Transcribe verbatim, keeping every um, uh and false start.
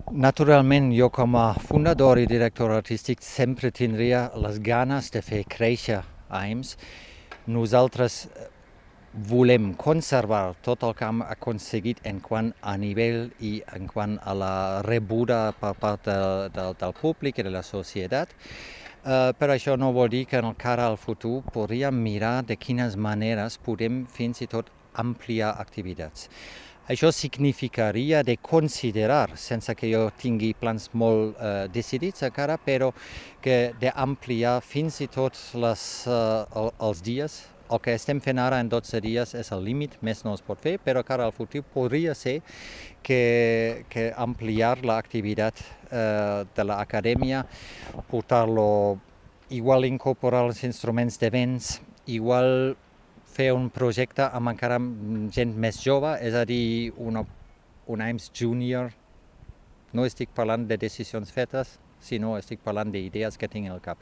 Naturalment, jo com a fundador i director artístic sempre tindria les ganes de fer créixer A I M S. Nosaltres volem conservar tot el que hem aconseguit en quant a nivell i en quant a la rebuda per part de, de, del públic i de la societat. Uh, però això no vol dir que en el cara al futur podríem mirar de quines maneres podem fins i tot ampliar activitats. Això significaria de considerar, sense que jo tingui plans molt uh, decidits encara, però que d'ampliar fins i tot les, uh, els dies. El que estem fent ara en dotze dies és el límit, més no es pot fer, però cara al futur podria ser que, que ampliar l'activitat uh, de l'acadèmia, portar-lo, igual incorporar els instruments de vents, igual fer un projecte amb encara gent més jove, és a dir, una, un A I M S júnior. No estic parlant de decisions fetes, sinó estic parlant d'idees que tinc al cap.